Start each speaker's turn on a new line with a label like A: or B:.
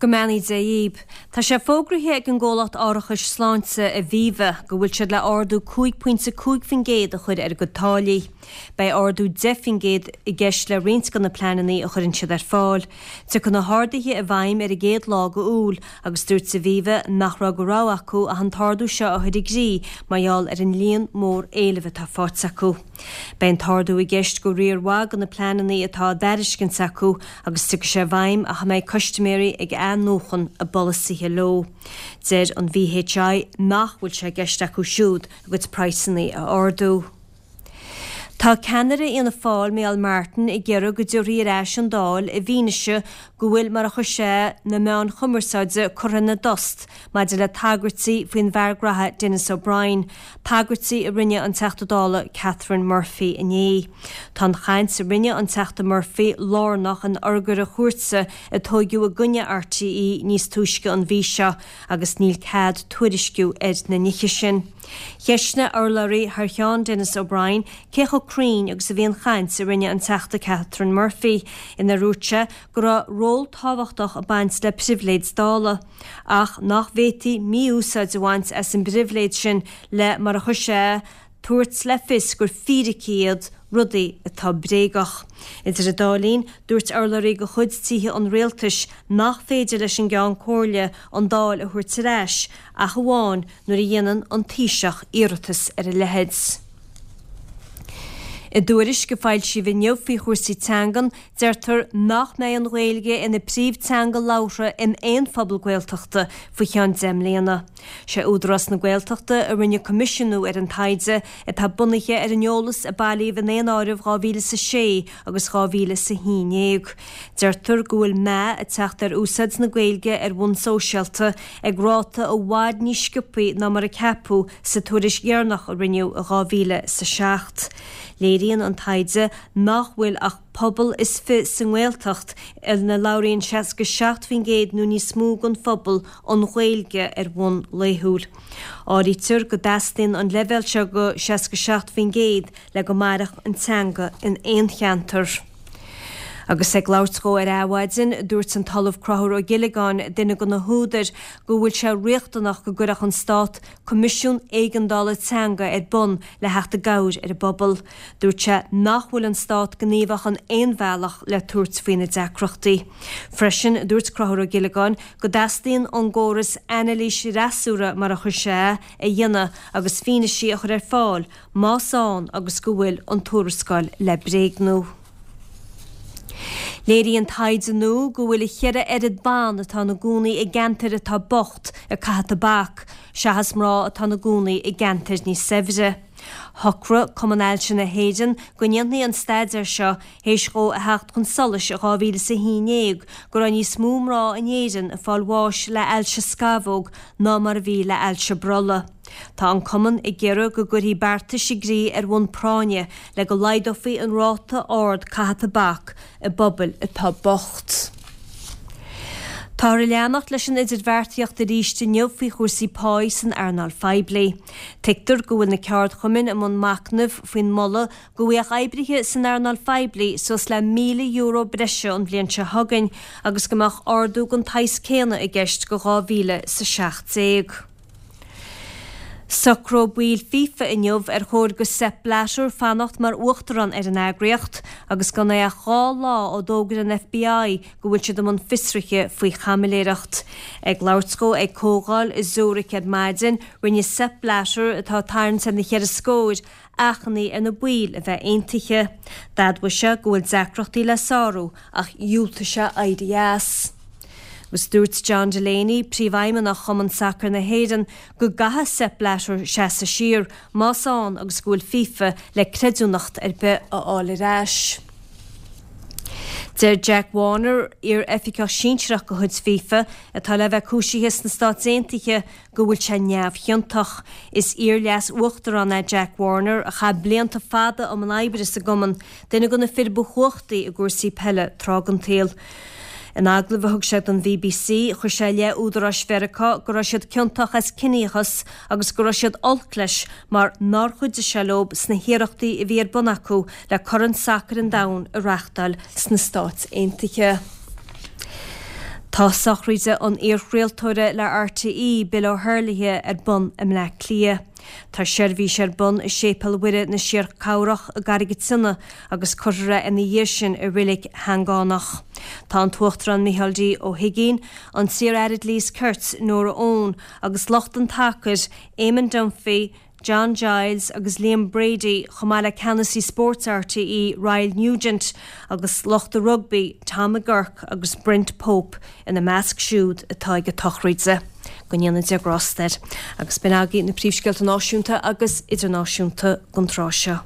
A: Go mbeannaí Dé dhíb. Tá sé fógraithe ag an gcomhlacht árachais sláinte Aviva go bhfuil siad le ardú 5.5% a chur ar a gcuid táillí. Beidh ardú 10% i gceist le roinnt de na pleananna a chuireann siad ar fáil. Tiocfaidh na harduithe i bhfeidhm ar an gcéad lá de Iúil agus dúirt Aviva nach raibh de rogha acu ach an t-ardú seo a chur i gcrích mar gheall ar an líon mór éilimh atá faighte acu. Beidh an t-ardú i gceist go riar mhaith de na pleananna atá á dtairiscint acu agus tiocfaidh sé i bhfeidhm ach a mbeidh custaiméirí ag athnuachan a bpolasaithe leo. Deir an VHI nach bhfuil sé i gceist acu siúd a gcuid praghsanna a ardú. Tá ceannaire Fhianna Fáil, Micheál Martin, ag iarraidh go dtabharfaí ar ais an Dáil i bhfianaise go bhfuil, mar a chuir sé, na meáin chumarsáide curtha ina dtost maidir le tagairtí faoin bhfear graithe Denis O'Brien, tagairtí a rinne an Teachta Dála Catherine Murphy inné. Tá an chaint a rinne an Teachta Murphy lárnach in urghaire chúirte a tóigeadh i gcoinne RTÉ níos túisce an mhí seo agus níl cead tuairisciú ar na nithe sin. Cheistnigh urlabhraí thar cheann Denis O'Brien cé chomh cruinn agus a bhí an chaint a rinne an Teachta Catherine Murphy inar dhúirt sé go raibh ról tábhachtach ag baint le pribhléid Dála. ach nach bhféadfaí mí-úsáid a bhaint as an bpribhléid sin le, mar a chuir sé, tabhairt le fios gur fíricí iad rudaí atá bréagach. Idir an dá linn, dúirt urlabhraí de chuid Tithe an Rialtais nach féidir leis an gCeann Comhairle an Dáil a thabhairt ar ais ach amháin nuair a dhéanann an Taoiseach iarratas ar a leithéid. I dtuairisc a foilsíodh inniu faoi chúrsaí teangan, deirtear nach mbeidh an Ghaeilge ina príomhteanga labhartha in aon phobal Gaeltachta faoi cheann 10 mbliana. Sé Údarás na Gaeltachta a rinne coimisiúnú ar an taighde, atá bunaithe ar an eolas a bailíodh i ndaonáireamh 2006 agus 2011. Deirtear go bhfuil meath ag teacht ar úsáid na Gaeilge ar bhonn sóisialta ag ráta i bhfad níos sciobthaí ná mar a ceapadh sa tuairisc dheireanach a rinneadh i 2007, léiríonn an taighde nach bhfuil ach pobal is fi sa nGaeltacht ina labhraíonn 67% nó níos mó den phobal an Ghaeilge ar bhonn laethúil. Áirítear go dteastaíonn an leibhéal seo de 67% le go mairfeadh an teanga in aon cheantar. Agus ag labhairt dhó ar Adhmhaidin, dúirt an tOllamh Conchúr Ó Giollagáin, duine de na húdair, go bhfuil sé riachtanach go gcuirfeadh an Stát Coimisiún Éigeandála Teanga ar bun le theacht i gcabhair ar an bpobal. Dúirt sé nach bhfuil an Stát gníomhach in aon bhealach le tabhairt faoi na deacrachtaí. Freisin, dúirt Conchúr Ó Giollagáin go dteastaíonn ón gcóras anailís fhreasúra, mar a chuir sé é, a dhéanamh agus fianaisí a chur ar fáil más ann agus go bhfuil an tuarascáil le bréagnú. Léiríonn taighde nua go bhfuil a cheithre oiread ban atá ina gcónaí i gceantair atá bocht ag caitheamh tobac seachas mná atá ina gcónaí i gceantair níos saibhre. Shocraigh Cumann Ailse na hÉireann go ndéanfaí an staidéar seo théis dhó a theacht chun solais i 2011 go raibh níos mó mná in Éirinn ag fáil bháis le ailse scamhóg ná mar a bhí le ailse brollaigh. Tá an Cumann ag iarraidh go gcuirfí beartais i gcrích ar bhonn práinne le go laghdófaí an ráta ard caitheamh tobac i bpobail atá bocht. Táthar ag leanacht leis an idirbheartaíocht arís inniu faoi chúrsaí páí san earnáil phoiblí. Tuigtear go bhfuil na ceardchumainn i mbun machnaimh faoin moladh go bhfaigheadh oibrithe san earnáil phoiblí suas le €1,000 breise an bhliain seo chugainn agus go mbeadh ardú den tsaghas céanna i gceist go 2017. Socróidh baill FIFA inniu ar chóir do Sepp Blatter fanacht mar uachtarán ar an eagraíocht agus gan é ach 2 lá ó d'fhógair an FBI go bhfuil siad i mbun fiosruithe faoi chaimiléireacht. Ag labhairt dhó ag comhdháil i Zurich ar maidin, rinne Sepp Blatter, atá ag tarraingt ar na cheithre scóir, achainí ar na baill a bheith aontaithe. D'admhaigh sé go bhfuil deacrachtaí le sárú ach dhiúltaigh sé éirí as. Agus dúirt John Delaney, Príomhfheidhmeannach Chumann Sacair na hÉireann, go gcaithfidh Sepp Blatter seasamh siar, más ann agus go bhfuil FIFA le creidiúnacht ar bith a fháil ar ais. Deir Jack Warner, iar-oifigeach sinsearach de chuid FIFA, atá le bheith cúisithe sna Stáit Aontaithe, go bhfuil sé neamhchiontach. Is iar-leas-uachtarán é Jack Warner a chaith blianta fada i mbun oibre sa gcumann, duine de na fir ba chumhachtaí i gcúrsaí peile tráth den tsaol. In agallamh a thug sé don BBC, chuir sé i leith údaráis Mheiriceá go raibh siad ciontach as ciníochas agus go raibh siad olc leis mar nár chuidigh sé leo sna hiarrachtaí a bhí ar bun acu le Corn Sacair an Domhain a reáchtáil sna Stáit Aontaithe. Tá sochraide an iarchraoltóra le RTÉ, Bill O'Herlihy, ar bun i mBleá Cliath. Tá seirbhís ar bun i Séipéal Mhuire na Síorchabhrach i gCarraig an tSionnaigh agus cuirfear é ina dhiaidh sin i Reilig Sheangánach. Tá an tUachtarán Micheál D. Ó hUigínn, an t-iar-aire Dlí is Cirt, Nóra Eoin agus lucht an tsacair, Eamon Dunphy, John Giles agus Liam Brady chomh maith le ceannasaí spóirt RTÉ Ryle Nugent agus lucht an rugbaí Tom McGurk agus Brent Pope ina measc siúd atá ag an tsochraid. Go ndéana Dia grásta air. Agus b'in agaibh na príomhscéalta náisiúnta agus idirnáisiúnta don tráth seo.